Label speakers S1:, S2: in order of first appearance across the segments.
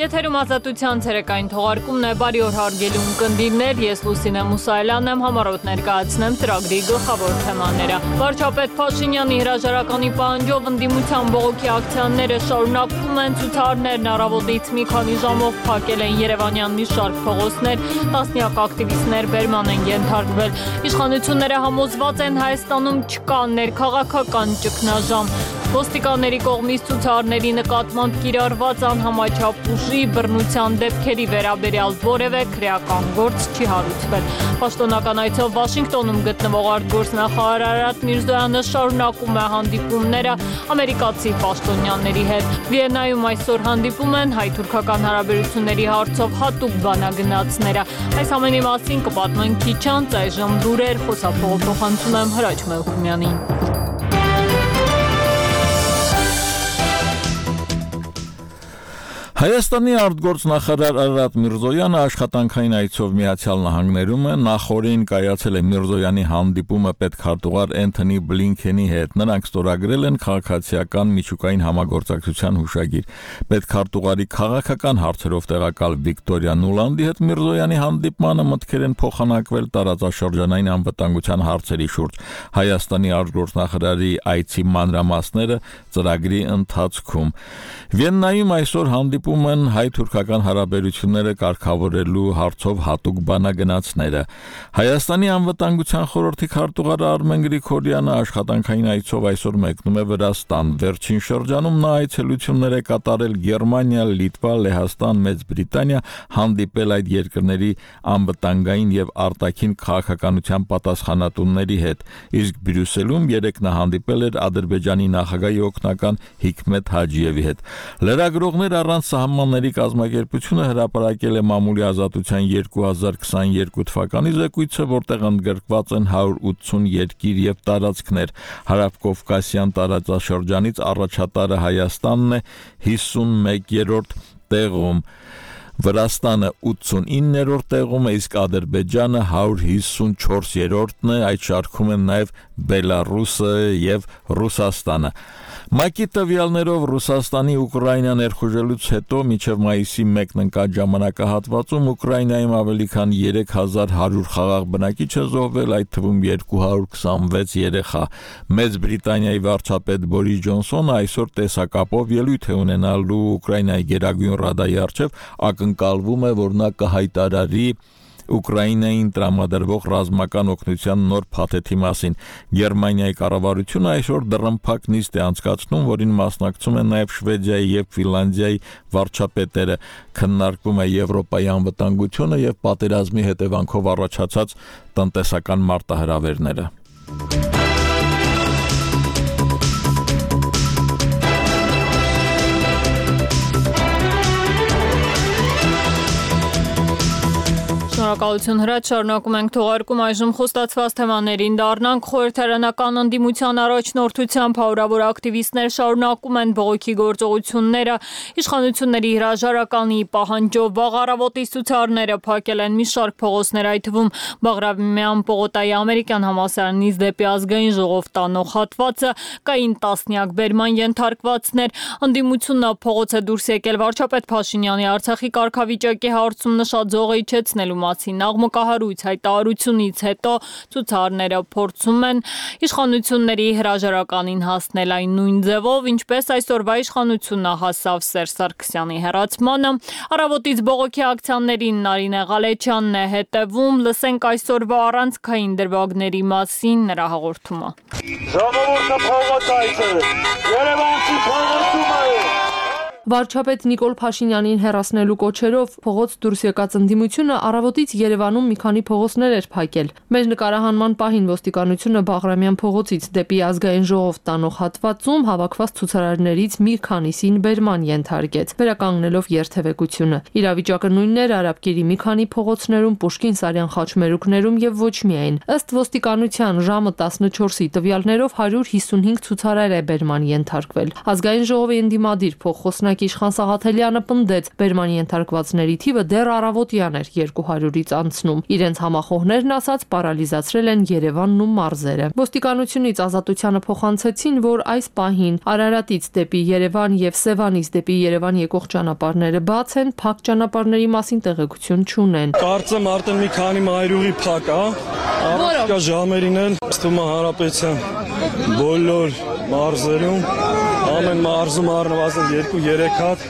S1: Եթերում ազատության ցերեկային թողարկումն է, բարի օր հարգելի ունկնդիրներ, ես Լուսինե Մուսայելյանն եմ, համառոտ ներկայացնեմ ծրագրի գլխավոր թեմաները։ Վարչապետ Փաշինյանի հրաժարականի պահանջով ընդդիմության բողոքի ակցիաները շարունակվում են, ցուցարներն առավոտից մի քանի ժամով փակել են Երևանյան մի շարք փողոցներ, տասնյակ ակտիվիստներ բերման են ենթարկվել։ Իշխանությունները համոզված են Հայաստանում չկա ներքաղաքական ճգնաժամ։ Ոստիկանների կողմից ցուցարների նկատմամբ կիրառված անհամաչափ ուժի բռնության դեպքերի վերաբերյալ որևէ քրեական գործ չի հարուցվել։ Պաշտոնական այցով Վաշինգտոնում գտնվող արտգործնախարար Արարատ Միրզոյանը շարունակում է հանդիպումները ամերիկացի պաշտոնյաների հետ։ Վիեննայում այսօր հանդիպում են հայ-թուրքական հարաբերությունների հարցով հատուկ բանագնացները։ Այս ամենի մասին կպատմենք քիչ անց, այժմ լուրեր, խոսափողափոխանցում եմ Հրաչ Մելքումյանին։
S2: Հայաստանի արտգործնախարար Արարատ Միրզոյանը աշխատանքային այցով Միացյալ Նահանգներում է, նախորդին կայացել է Միրզոյանի հանդիպումը պետքարտուղար Էնթոնի Բլինքենի հետ։ Նրանք ստորագրել են քաղաքացիական միջուկային համագործակցության հուշագիր։ Պետքարտուղարի քաղաքական հարցերով տեղակալ Վիկտորիա Նուլանդի հետ Միրզոյանի հանդիպմանը մտքեր են փոխանակվել տարածաշրջանային անվտանգության հարցերի շուրջ։ Հայաստանի արտգործնախարարի այցի մանրամասները ծրագրի ընթացքում։ Վիեննայում այսօր հանդիպում են հայ-թուրքական հարաբերությունները կարգավորելու հարցով հատուկ բանագնացները։ Հայաստանի անվտանգության խորհրդի քարտուղար Արմեն Գրիգորյանը աշխատանքային այցով այսօր մեկնում է Վրաստան։ Վերջին շրջանում նա այցելություններ է կատարել Գերմանիա, Լիտվա, Լեհաստան, Մեծ Բրիտանիա, հանդիպել այդ երկրների անվտանգային եւ արտաքին քաղաքականության պատասխանատուների հետ։ Իսկ Բրյուսելում երեկ նա հանդիպել էր Ադրբեջանի նախագահի օգնական Հիկմետ Հաջիևի հետ։ Լրագրողներ առանց սահմանների կազմակերպությունը հրապարակել է մամուլի ազատության 2022 թվականի զեկույցը, որտեղ ընդգրկված են 180 երկիր եւ տարածքներ։ Հարավկովկասյան տարածաշրջանից առաջատարը Հայաստանն է 51-րդ տեղում, Վրաստանը 89-րդ տեղում է, իսկ Ադրբեջանը 154-րդն է, այդ շարքում են նաև Բելարուսը եւ Ռուսաստանը։ ՄԱԿ-ի տվյալներով Ռուսաստանի Ուկրաինա ներխուժելուց հետո մինչև մայիսի 1-ն ընկած ժամանակահատվածում Ուկրաինայում ավելի քան 3100 խաղաղ բնակիչ է զոհվել, այդ թվում 226 երեխա։ Մեծ Բրիտանիայի վարչապետ Բորիս Ջոնսոնը այսօր տեսակապով ելույթ է ունենալու Ուկրաինայի Գերագույն ռադայի առջև, ակնկալվում է, որ նա կհայտարարի Ուկրաինային տրամադրվող ռազմական օգնության նոր փաթեթի մասին։ Գերմանիայի կառավարությունը այսօր դռնփակ նիստ է անցկացնում, որին մասնակցում են նաև Շվեդիայի եւ Ֆինլանդիայի վարչապետերը։ Քննարկվում է Եվրոպայի անվտանգությունը եւ պատերազմի հետևանքով առաջացած տնտեսական մարտահրավերները։
S1: Շնորհակալություն Հրաչ, շարունակում ենք թողարկում, այժմ խոստացված թեմաներին դառնանք։ Խորհրդարանական ընդդիմության առաջնորդությամբ հարյուրավոր ակտիվիստներ շարունակում են բողոքի գործողությունները։ Իշխանությունների հրաժարականի պահանջով վաղ առավոտից ցուցարները փակել են մի շարք փողոցներ, այդ թվում Բաղրամյան պողոտայի ամերիկյան համալսարանից դեպի Ազգային ժողով տանող հատվածը, կային տասնյակ բերման ենթարկվածներ։ Ընդդիմությունը փողոց է դուրս եկել վարչապետ Փաշինյանի Արցախի կարգավիճակի հարցում նշած զոհը իջեցնելու մասին աղմկահարույց հայտարարությունից հետո ցուցարները փորձում են իշխանությունների հրաժարականին հասնել այն նույն ձևով, ինչպես այսօրվա իշխանությունը հասավ Սերժ Սարգսյանի հեռացմանը։ Առավոտից բողոքի ակցիաներին Նարինե Ղալեչյանն է հետևում, լսենք այսօրվա առանցքային դրվագների մասին նրա հաղորդումը։
S3: Ժողովուրդը փողոց այցելել, Երևանցի փողոցում է։
S4: Վարչապետ Նիկոլ Փաշինյանին հեռացնելու կոչերով փողոց դուրս եկած ընդդիմությունը առավոտից Երևանում մի քանի փողոցներ էր փակել։ Մեր նկարահանման պահին ոստիկանությունը Բաղրամյան փողոցից դեպի Ազգային ժողով տանող հատվածում հավաքված ցուցարարներից մի քանիսին բերման ենթարկեց, վերականգնելով երթևեկությունը։ Իրավիճակը նույնն էր Արաբկիրի մի քանի փողոցներում, Պուշկին-Սարյան խաչմերուկներում եւ ոչ միայն։ Ըստ ոստիկանության ժամը 14-ի տվյալներով 155 ցուցարար է բերման ենթարկվել։ Ազգային ժողովի ընդդիմադիր փոխխոսնակ օրինակ Իշխան Սաղաթելյանը պնդեց, բերման ենթարկվածների թիվը դեռ առավոտյան էր 200-ից անցնում։ Իրենց համախոհներն ասած պարալիզացրել են Երևանն ու մարզերը։ Ոստիկանությունից Ազատությանը փոխանցեցին, որ այս պահին Արարատից դեպի Երևան եւ Սևանից դեպի Երևան եկող ճանապարհները բաց են, փակ ճանապարհների մասին տեղեկություն չունեն։
S5: Կարծեմ արդեն մի քանի մայրուղի փակ է, առարկա ժամերին էլ ստում է Հանրապետության բոլոր մարզերում, ամեն մարզում առնվազն 2-3 հատ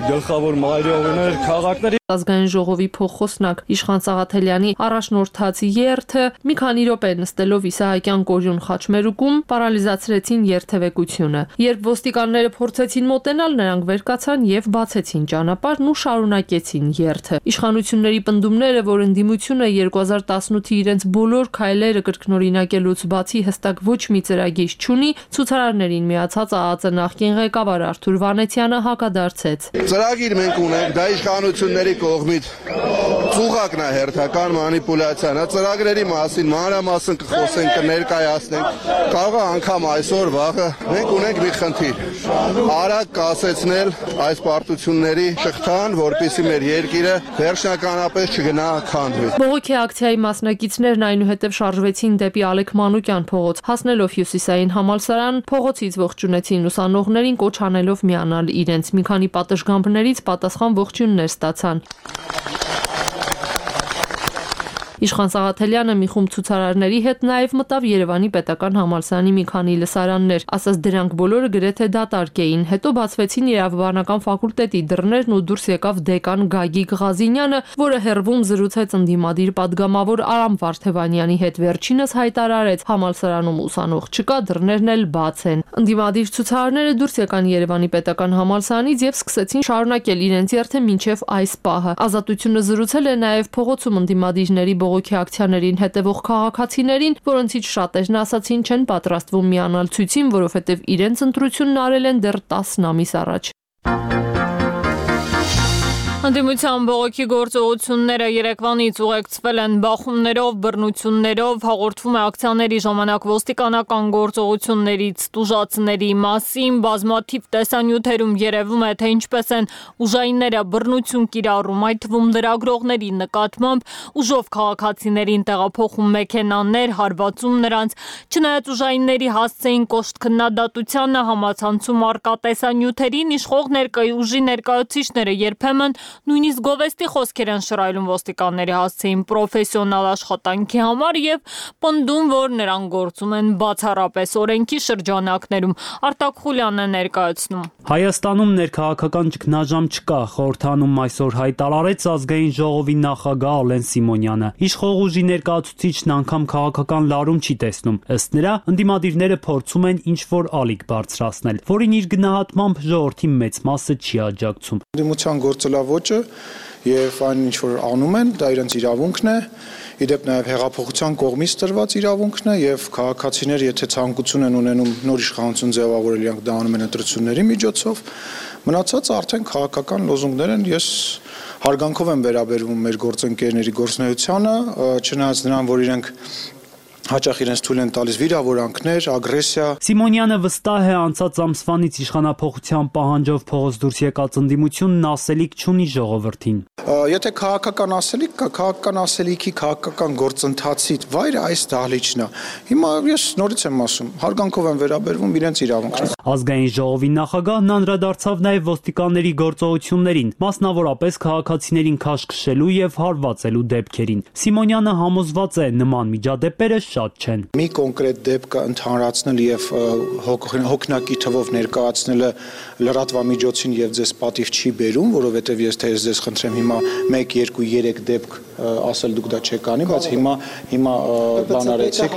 S5: գլխավոր մայրուղիներ, քաղաքների
S4: Ազգային ժողովի փոխխոսնակ Իշխան Սաղաթելյանի առաջնորդած երթը մի քանի րոպե նստելով Իսահակյան Կորյուն խաչմերուկում պարալիզացրեցին երթևեկությունը։ Երբ ոստիկանները փորձեցին մոտենալ, նրանք վեր կացան եւ բացեցին ճանապարհն ու շարունակեցին երթը։ Իշխանությունների պնդումները, որ ընդդիմությունը 2018-ի իրենց բոլոր քայլերը կրկնօրինակելուց բացի հստակ ոչ մի ծրագիր չունի, ցուցարարներին միացած ԱԱԾ նախկին ղեկավար Արթուր Վանեցյանը հակադարձեց։
S6: Ծրագիր մենք ունենք, դա իշխանությունների կողմից ծուղակն է հերթական մանիպուլյացիան, ծրագրերի մասին մանրամասն կխոսենք, կներկայացնենք, կարող է անգամ այսօր վաղը մենք ունենք մի խնդիր, արագ կասեցնել այս պարտությունների շղթան, որպեսզի մեր երկիրը վերջնականապես չգնա քանդվի։
S4: Բողոքի ակցիայի մասնակիցներն այնուհետև շարժվեցին դեպի Ալեք Մանուկյան փողոց, հասնելով Հյուսիսային համալսարան, փողոցից ողջունեցին ուսանողներին, կոչ անելով միանալ իրենց։ Մի քանի պատշգամբներից պատասխան ողջույններ ստացան։ Իշխան Սաղաթելյանը մի խումբ ցուցարարների հետ նաև մտավ Երևանի պետական համալսարանի մի քանի լսարաններ, ասաց դրանք բոլորը գրեթե դատարկ էին։ Հետո բացվեցին իրավաբանական ֆակուլտետի դռներն ու դուրս եկավ դեկան Գագիկ Ղազինյանը, որը հերվում զրուցեց ընդդիմադիր падգամավոր Արամ Վարդևանյանի հետ։ Վերջինս հայտարարեց, համալսարանում ուսանող չկա, դռներն էլ բաց են։ Ընդդիմադիր ցուցարարները դուրս եկան Երևանի պետական համալսարանից եւ սկսեցին շարունակել իրենց երթը մինչեւ այս պահը։ Ազատությունը զրուցել է նաև փողոցում ընդդիմադիրների բողոքի ակցիաներին հետևող քաղաքացիներին, որոնցից շատերն ասացին չեն պատրաստվում միանալ ցույցին, որովհետև իրենց ընտրությունն արել են դեռ 10 ամիս առաջ։
S1: Ընդդիմության բողոքի գործողությունները Երևանից ուղեկցվել են բախումներով, բռնություններով, հաղորդվում է ակցիաների ժամանակ ոստիկանական գործողություններից տուժածների մասին, բազմաթիվ տեսանյութերում երևում է, թե ինչպես են ուժայինները բռնություն կիրառում, այդ թվում լրագրողների նկատմամբ, ուժով քաղաքացիներին տեղափոխում մեքենաներ, հարվածում նրանց, չնայած ուժայինների հասցեին կոշտ քննադատությանը, համացանցում առկա տեսանյութերին, իշխող ուժի ներկայացուցիչները երբեմն նույնիսկ գովեստի խոսքեր են շռայլում ոստիկանների հասցեին պրոֆեսիոնալ աշխատանքի համար եւ պնդում, որ նրանք գործում են բացառապես օրենքի շրջանակներում։ Արտակ Խուլյանն է ներկայացնում։
S7: Հայաստանում ներքաղաքական ճգնաժամ չկա, խորհրդանում այսօր հայտարարեց ազգային ժողովի նախագահ Ալեն Սիմոնյանը։ Իշխող ուժի ներկայացուցիչն անգամ քաղաքական լարում չի տեսնում։ Ըստ նրա, ընդդիմադիրները փորձում են ինչ-որ ալիք բարձրացնել, որին իր գնահատմամբ ժողովրդի մեծ մասը չի աջակցում։
S8: Ընդդիմության գործելավոճը եւ այն ինչ որ անում են, դա իրենց իրավունքն է, իդեպ նաեւ հեղափոխության կողմից տրված իրավունքն է եւ քաղաքացիները եթե ցանկություն են ունենում նոր իշխանություն ձևավորել, իրանք դա անում են ընտրությունների միջոցով, մնացածը արդեն քաղաքական լոզունգներ են։ Ես հարգանքով եմ վերաբերվում մեր գործընկերների գործունեությանը, չնայած նրան, որ իրենք հաճախ իրենց թույլ են տալիս վիրավորանքներ, ագրեսիա։
S7: Սիմոնյանը վստահ է անցած ամսվանից իշխանափոխության պահանջով փողոց դուրս եկած ընդդիմությունն ասելիք չունի ժողովրդին։
S8: Եթե քաղաքական ասելիք կա, քաղաքական ասելիքի քաղաքական գործընթացի վայրը այս դահլիճն է։ Հիմա ես նորից եմ ասում, հարգանքով եմ վերաբերվում իրենց իրավունքին։
S7: Ազգային ժողովի նախագահն անդրադարձավ նաև ոստիկանների գործողություններին, մասնավորապես քաղաքացիներին քաշքշելու եւ հարվածելու դեպքերին։ Սիմոնյանը համոզված է, նման միջադեպերը շատ չեն։
S8: Մի կոնկրետ դեպքը ընդհանրացնել եւ հոգնակի թվով ներկայացնելը լրատվամիջոցին եւ ձեզ պատիվ չի բերում, որովհետեւ ես ձեզ խնդրեմ հիմա 1, 2, 3 դեպք ասել դուք դա չեք անի, բայց հիմա բան արեցիք։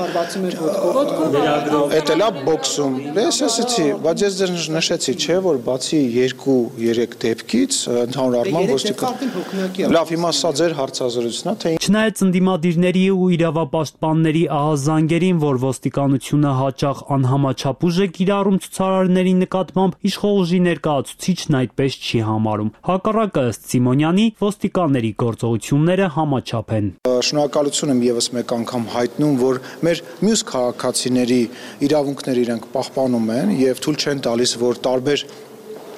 S8: Էդ էլա բոքսում։ Ես ասեցի, բայց ես ձեզ նշեցի, չէ, որ բացի 2-3 դեպքից ընդհանուր առմամբ ոստիկան։ Լավ, հիմա սա ձեր հարցազրույցն է, թե
S7: չնայած ընդդիմադիրների ու իրավապաշտպանների ահազանգերին, որ ոստիկանությունը հաճախ անհամաչափ ուժ է կիրառում ցուցարարների նկատմամբ, իշխող ուժի ներկայացուցիչն այդպես չի համարում։ Հակառակը ըստ Սիմոնյանի, ոստիկանների գործողությունները համաչափ են։
S8: Շնորհակալություն եմ եւս մեկ անգամ հայտնում, որ մեր մյուս քաղաքացիների իրավունքները իրենք պահպանում են եւ թույլ չեն տալիս, որ տարբեր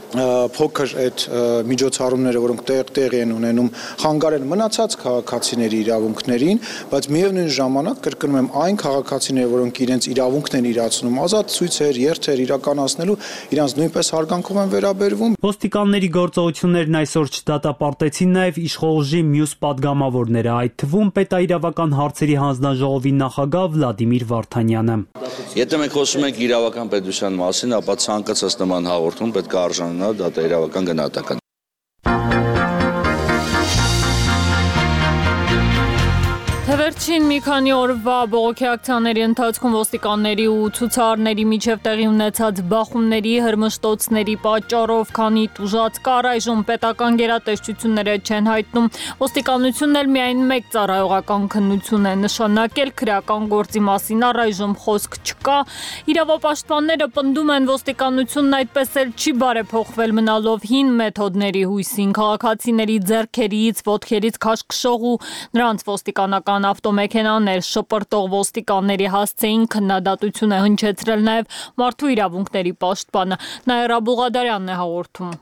S8: փոքր այդ միջոցառումները, որոնք տեղի են ունենում, խանգարեն մնացած քաղաքացիների իրավունքներին, բայց միևնույն ժամանակ կրկնում եմ այն քաղաքացիները, որոնք իրենց իրավունքն են իրացնում, ազատ ցույցեր, երթեր իրականացնելու, իրանց նույնպես հարգանքով են վերաբերվում։
S7: Ոստիկանների գործողություններն այսօր չդատապարտեցին նաև իշխող ուժի մյուս падգամավորները, այդ թվում պետաիրավական հարցերի հանձնաժողովի նախագահ Վլադիմիր Վարդանյանը։
S9: Եթե մենք խոսում ենք իրավական պետության մասին, ապա ցանկացած նման հաղորդում պետք է արժանանա դատաիրավական գնահատական։
S1: Վերջին մի քանի օրվա բողոքի ակցիաների ընթացքում ոստիկանների ու ցուցարարների միջև տեղի ունեցած բախումների, հրմշտոցների պատճառով քանի տուժած կար, այժմ պետական գերատեսչությունները չեն հայտնում։ Ոստիկանությունն էլ միայն մեկ ծառայողական քննություն է նշանակել, քրեական գործի մասին առայժմ խոսք չկա։ Իրավապաշտպանները պնդում են, ոստիկանությունն այդպես էլ չի բարեփոխվել, մնալով հին մեթոդների հույսին, քաղաքացիների ձեռքերից, ոտքերից քաշքշող ու նրանց ոստիկանական ավտոմեքենաներ շպրտող ոստիկանների հասցեին քննադատություն է հնչեցրել նաև մարդու իրավունքների պաշտպանը Նաիրա Բուղադարյանն է հաղորդում։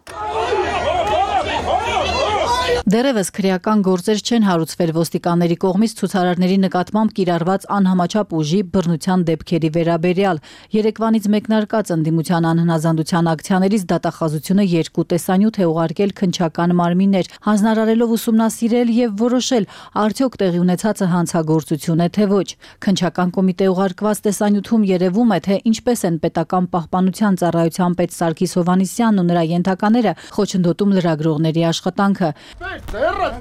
S10: Դեռևս քրեական գործեր չեն հարուցվել ոստիկանների կողմից ցուցարարների նկատմամբ կիրառված անհամաչափ ուժի բռնության դեպքերի վերաբերյալ։ Երեկվանից մեկնարկած ընդդիմության անհնազանդության ակցիաներից դատախազությունը երկու տեսանյութ է ուղարկել քննչական մարմիններ, հանձնարարելով ուսումնասիրել եւ որոշել արդյոք տեղի ունեցածը հանցագործություն է թե ոչ։ Քննչական կոմիտե ուղարկված տեսանյութում երևում է, թե ինչպես են պետական պահպանության ծառայության պետ Սարգիս Հովհաննիսյանն ու նրա ենթակաները խոչընդոտում լրագրողների աշխատանքը։
S11: Ձեռդ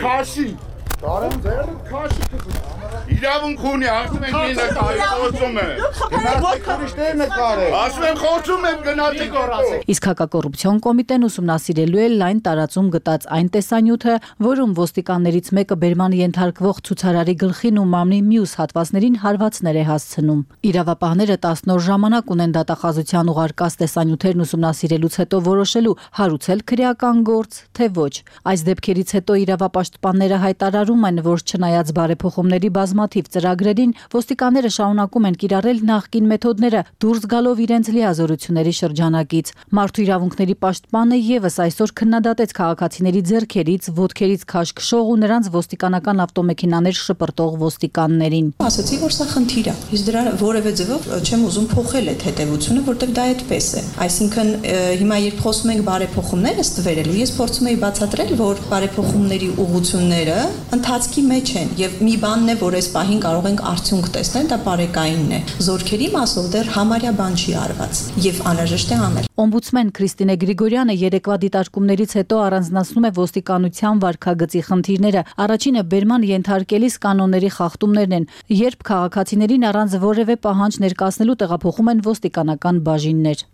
S11: քաշի։ Ձեռդ քաշի։ Իրավունք ունի, ասում ենք ինը խոսում է։ Գնացեք ուրիշներ նկարեք։ Ասում եմ խոսում եմ գնացեք օրացեք։
S10: Իսկ հակակոռուպցիոն կոմիտեն ուսումնասիրելու է լայն տարածում գտած այն տեսանյութը, որում ոստիկաններից մեկը բերման ենթարկվող ցուցարարի գլխին ու մամնի մյուս հատվածներին հարվածներ է հասցնում։ Իրավապահները 10 օր ժամանակ ունեն դատախազության ուղարկած տեսանյութերն ուսումնասիրելուց հետո որոշելու հարուցել քրեական գործ, թե ոչ։ Այս դեպքերից հետո իրավապաշտպանները հայտարարում են, որ չնայած բարեփոխումների բազմաթիվ ծրագրերին, ոստիկանները շարունակում են կիրառել նախկին մեթոդները, դուրս գալով իրենց լիազորությունների շրջանակից։ Մարդու իրավունքների պաշտպանը եւս այսօր քննադատեց քաղաքացիների ձեռքերից, ոտքերից քաշքշող ու նրանց ոստիկանական ավտոմեքենաներ շպրտող ոստիկաններին։
S12: Ասացի, որ սա խնդիր է, իսկ դրա որևէ ձևով չեմ ուզում փոխել այդ հետևությունը, որտեղ դա այդպես է։ Այսինքն հիմա երբ խոսում ենք բարեփոխումներ ըստ վերելու, ես փորձում եի բացատրել, որ բարեփոխումների ուղղությունները ընթացքի մեջ են եւ մի բանն է, որ այս պահին կարող ենք արդյունք տեսնել, դա բարեկայինն է։ Զորքերի մասով դեռ համարյա բան չի արված եւ անհրաժեշտ է անել։
S10: Օմբուդսմեն Քրիստինե Գրիգորյանը երեկվա դիտարկումներից հետո առանձնացնում է ոստիկանության վարքագծի խնդիրները։ Առաջինը բերման ենթարկելիս կանոնների խախտումներն են, երբ քաղաքացիներին առանց որևէ պահանջ ներկայացնելու տեղափոխում են ոստիկանական բաժիններ։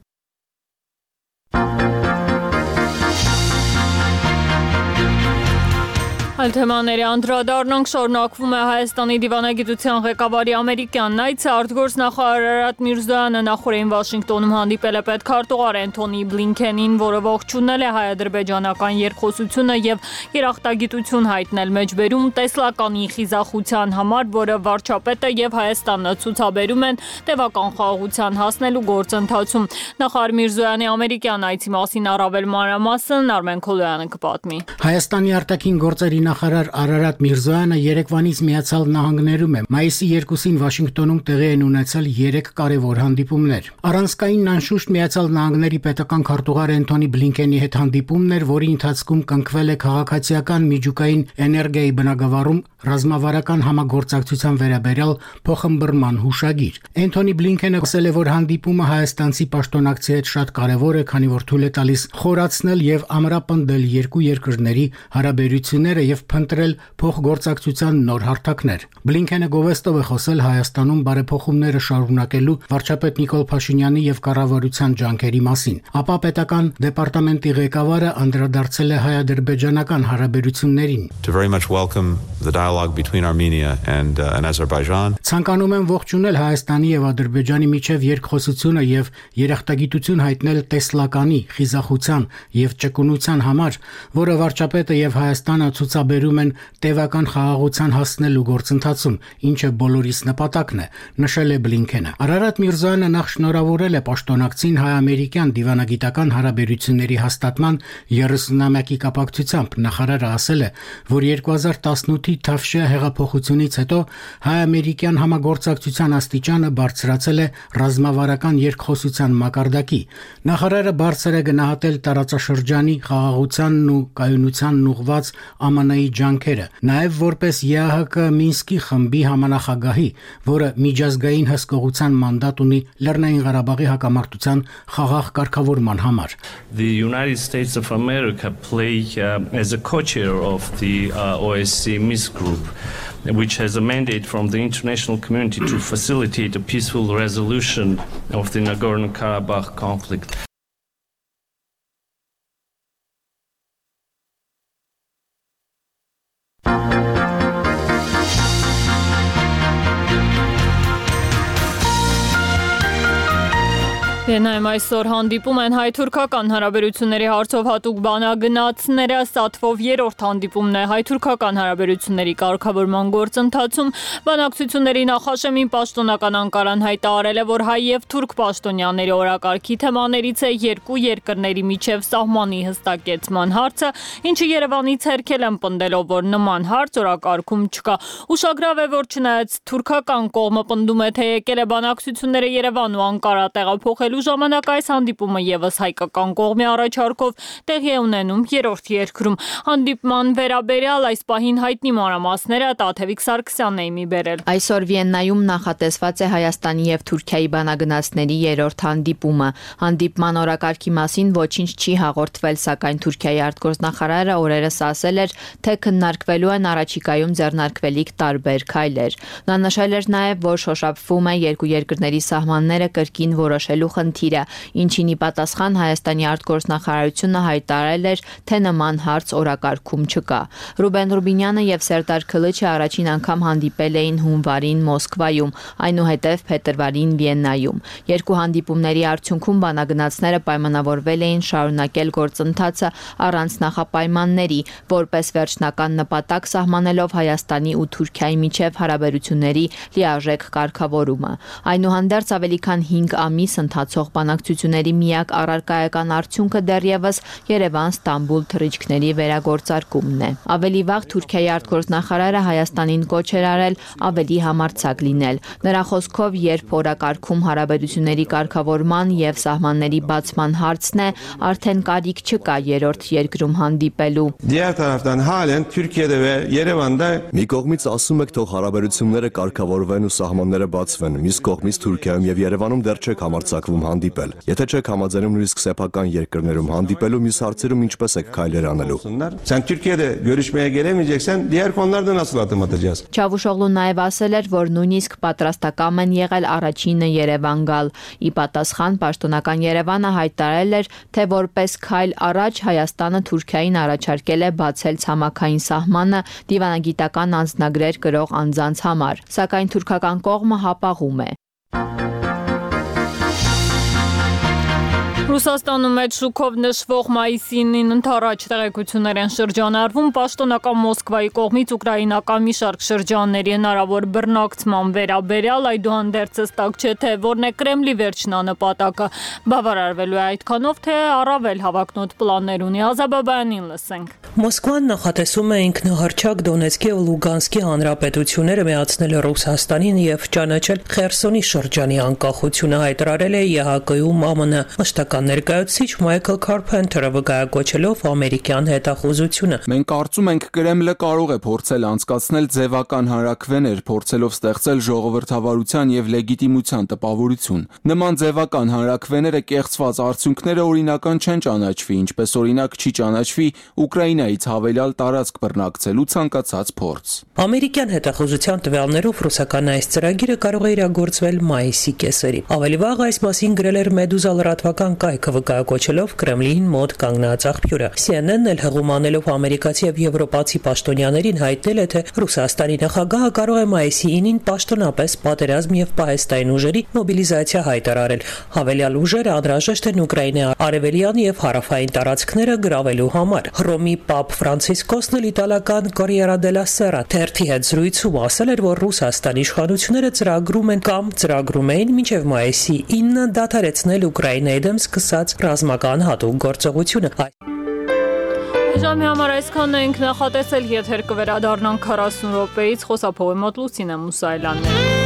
S1: Այլ թեմաների անդրադառնանք, շարունակվում է Հայաստանի դիվանագիտության ղեկավարի ամերիկյան այցը։ Արտգործնախարար Արարատ Միրզոյանը նախորդին Վաշինգտոնում հանդիպել է պետքարտուղար Էնթոնի Բլինքենին, որը ողջունել է հայ-ադրբեջանական երկխոսությունը եւ երախտագիտություն հայտնել մեջբերում տեսլականի խիզախության համար, որը վարչապետը եւ Հայաստանը ցուցաբերում են տևական խաղաղության հասնելու գործընթացում։ Նախարար Միրզոյանի ամերիկյան այցի մասին առավել մանրամասն Արմեն Քոլոյանը կպատմի։
S13: Հայաստանի արտաքին գործերի նախարար Արարատ Միրզոյանը երեկվանից Միացյալ Նահանգներում է։ Մայիսի 2-ին Վաշինգտոնում տեղի են ունեցել 3 կարևոր հանդիպումներ։ Առանցքայինն անշուշտ Միացյալ Նահանգների պետական քարտուղար Էնթոնի Բլինքենի հետ հանդիպումն էր, որի ընթացքում կնքվել է քաղաքացիական միջուկային էներգիայի բնագավառում ռազմավարական համագործակցության վերաբերյալ փոխըմբռնման հուշագիր։ Էնթոնի Բլինքենը ասել է, որ հանդիպումը հայաստանցի պաշտոնակցի հետ շատ կարևոր է, քանի որ թույլ է տալիս խորացնել եւ ամրապնդել երկու երկրների հարաբերությունները եւ փնտրել փոխգործակցության նոր հարթակներ։ Բլինքենը գովեստով է խոսել Հայաստանում բարեփոխումները շարունակելու վարչապետ Նիկոլ Փաշինյանի եւ կառավարության ջանքերի մասին։ Ապա պետական դեպարտամենտի ղեկավարը անդրադարձել է հայ-ադրբեջանական հարաբերություններին։
S14: To very much welcome the dialogue between Armenia and Azerbaijan.
S13: Ցանկանում եմ ողջունել Հայաստանի եւ Ադրբեջանի միջև երկխոսությունը եւ երախտագիտություն հայտնել տեսլականի, խիզախության եւ ճկունության համար, որը վարչապետը եւ Հայաստանը ցուցաբերել նախաբերում են տևական խաղաղության հասնելու գործընթացում, ինչը բոլորիս նպատակն է, նշել է Բլինքենը։ Արարատ Միրզոյանը նախ շնորհավորել է պաշտոնակցին հայ-ամերիկյան դիվանագիտական հարաբերությունների հաստատման 30-ամյակի կապակցությամբ։ Նախարարը ասել է, որ 2018-ի Թավշյա հեղափոխությունից հետո հայ-ամերիկյան համագործակցության աստիճանը բարձրացել է ռազմավարական երկխոսության մակարդակի։ Նախարարը բարձր է գնահատել տարածաշրջանի խաղաղությանն ու կայունությանն ուղղված ԱՄՆ-ի ջանքերը, նաև որպես ԵԱՀԿ Մինսկի խմբի համանախագահի, որը միջազգային հսկողության մանդատ ունի Լեռնային Ղարաբաղի հակամարտության խաղաղ կարգավորման համար։
S15: The United States of America play as a co-chair of the OSCE Minsk group, which has a mandate from the international community to facilitate a peaceful resolution of the Nagorno-Karabakh conflict.
S1: Վիեննայում այսօր հանդիպում են հայ-թուրքական հարաբերությունների հարցով հատուկ բանագնացները, Սատվով երրորդ հանդիպումն է հայ-թուրքական հարաբերությունների կարգավորման գործընթացում։ Բանակցությունների նախաշեմին պաշտոնական Անկարան հայտարարել է, որ հայ եւ թուրք պաշտոնյաների օրակարգի թեմաներից է երկու երկրների միջև սահմանի հստակեցման հարցը, ինչը Երևանից հերքել են պնդելով, որ նման հարց օրակարգում չկա։ Ուշագրավ է, որ չնայած թուրքական կողմը պնդում է, թե եկել է բանակցությունները Երևան ու Անկարա տեղափոխել ժամանակ այս հանդիպումը եւս հայկական կողմի առաջարկով տեղի է ունենում երրորդ երկրում։ Հանդիպման վերաբերյալ այս պահին հայտնի մանրամասները Տաթևիկ Սարգսյանն է մի բերել։
S16: Այսօր Վիեննայում նախատեսված է Հայաստանի եւ Թուրքիայի բանագնացների երրորդ հանդիպումը։ Հանդիպման օրակարգի մասին ոչինչ չի հաղորդվել, սակայն Թուրքիայի արտգործնախարարը օրերս ասել էր, թե քննարկվելու են առաջիկայում ձեռնարկվելիք տարբեր քայլեր։ Նա նշել էր նաեւ, որ շոշափվում է երկու երկրների սահմանները կրկին որոշելու խնդիրը, ինչին ի պատասխան Հայաստանի արտգործնախարարությունը հայտարարել էր, թե նման հարց օրակարգում չկա։ Ռուբեն Ռուբինյանը եւ Սերդար Քլիչը առաջին անգամ հանդիպել էին հունվարին Մոսկվայում, այնուհետև փետրվարին Վիեննայում։ Երկու հանդիպումների արդյունքում բանագնացները պայմանավորվել էին շարունակել գործընթացը առանց նախապայմանների, որպես վերջնական նպատակ սահմանելով Հայաստանի ու Թուրքիայի միջև հարաբերությունների լիարժեք կարգավորումը։ Այնուհանդերձ ավելի քան 5 ամիս ընթացող բանակցությունների միակ առարկայական արդյունքը դեռևս Երևան-Ստամբուլ թռիչքների վերագործարկումն է։ Ավելի վաղ Թուրքիայի արտգործնախարարը Հայաստանին կոչ էր արել ավելի համարձակ լինել։ Նրա խոսքով, երբ օրակարգում հարաբերությունների կարգավորման եւ սահմանների բացման հարցն է, արդեն կարիք չկա երրորդ երկրում հանդիպելու։
S17: Diğer taraftan halen Türkiye'de ve Yerevan'da
S18: մի կողմից ասում եք թող հարաբերությունները կարգավորվեն ու սահմանները բացվեն, մյուս կողմից Թուրքիայում եւ Երևանում դեռ չեք համարձակվում հանդիպել։ Եթե չեք համաձայնում նույնիսկ սեփական երկրներում հանդիպելու, մյուս հարցերում ինչպես եք քայլեր անելու։
S17: Sen Türkiye'de görüşmeye gelemeyeceksen diğer konularda nasıl adım atacağız?
S16: Çavuşoğlu նաև ասել էր, որ նույնիսկ պատրաստական են եղել առաջինը Երևան գալ։ Ի պատասխան պաշտոնական Երևանը հայտարարել էր, թե որպես քայլ առաջ Հայաստանը Թուրքիային առաջարկել է բացել ցամաքային սահմանը դիվանագիտական անձնագրեր կրող անձանց համար, սակայն թուրքական կողմը հապաղում է։
S1: Ռուսաստանում մեծ շուկով նշվող մայիսին ընդառաջ տեղեկություններ են շրջանառվում պաշտոնական Մոսկվայի կողմից ուկրաինական մի շարք շրջանների հնարավոր բռնակցման վերաբերյալ, այդուհանդերձ հստակ չէ, թե որն է Կրեմլի վերջնանպատակը։ Բավարարվելու է այդքանով, թե առավել հավակնոտ պլաններ ունի։ Ազաբաբյանին լսենք։
S19: Մոսկվան նախատեսում է ինքնահռչակ Դոնեցկի ու Լուգանսկի հանրապետությունները միացնել Ռուսաստանին եւ ճանաչել Խերսոնի շրջանի անկախությունը, հայտարարել է ԵԱՀԿ-ում ԱՄՆ մշտական ներկայացուցիչ Մայքլ Քարփենթերը, վկայակոչելով ամերիկյան հետախուզությունը։
S20: Մենք կարծում ենք Կրեմլը կարող է փորձել անցկացնել ձևական հանրաքվեներ, փորձելով ստեղծել ժողովրդավարության եւ լեգիտիմության տպավորություն։ Նման ձևական հանրաքվեները կեղծված արդյունքները օրինական չեն ճանաչվի, ինչպես օրինակ չի ճանաչվի Ուկրաինայից հավելյալ տարածք բռնակցելու ցանկացած փորձ։
S19: Ամերիկյան հետախուզության տվյալներով ռուսական այս ծրագիրը կարող է իրագործվել մայիսի կեսերին։ Ավելի վաղ այս մասին գրել էր Մեդուզա լրատվական կայքը, վկայակոչելով Կրեմլին մոտ կանգնած աղբյուրը։ CNN-ն էլ հղում անելով ամերիկացի եւ եվրոպացի պաշտոնյաներին հայտնել է, թե Ռուսաստանի նախագահը կարող է մայիսի 9-ին պաշտոնապես պատերազմ եւ պահեստային ուժերի մոբիլիզացիա հայտարարել։ Հավելյալ ուժերը անհրաժեշտ են Ուկրաինայի արևելյան եւ հարավային տարածքները գրավելու համար։ Հռոմի Պապ Ֆրանցիսկոսն էլ իտալական Corriere della Sera թերթի հետ զրույցում ասել էր, որ Ռուսաստանի իշխանությունները ծրագրում են կամ ծրագրում էին մինչև մայիսի 9-ը դադարեցնել Ուկրաինայի դեմ սկսած ռազմական հատուկ գործողությունը։
S1: Ժամի համար այսքանն ենք նախատեսել, եթեր կվերադառնանք 40 րոպեից, խոսափողի մոտ Լուսինե Մուսայելյանն է։